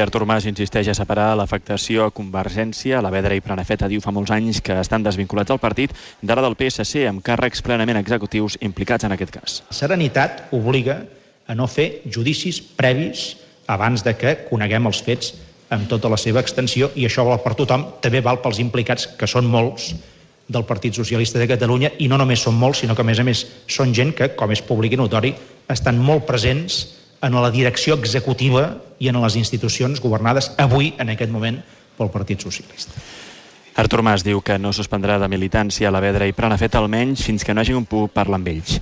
Artur Mas insisteix a separar l'afectació a Convergència. Alavedra i Prenafeta diu fa molts anys que estan desvinculats del partit, d'ara del PSC, amb càrrecs plenament executius implicats en aquest cas. Serenitat obliga a no fer judicis previs abans de que coneguem els fets amb tota la seva extensió, i això val per tothom, també val pels implicats, que són molts, del Partit Socialista de Catalunya, i no només són molts, sinó que a més són gent que, com és públic i notori, estan molt presents en la direcció executiva i en les institucions governades avui, en aquest moment, pel Partit Socialista. Artur Mas diu que no suspendrà de militància Alavedra i Prenafeta almenys fins que no hagi pogut parlar amb ells.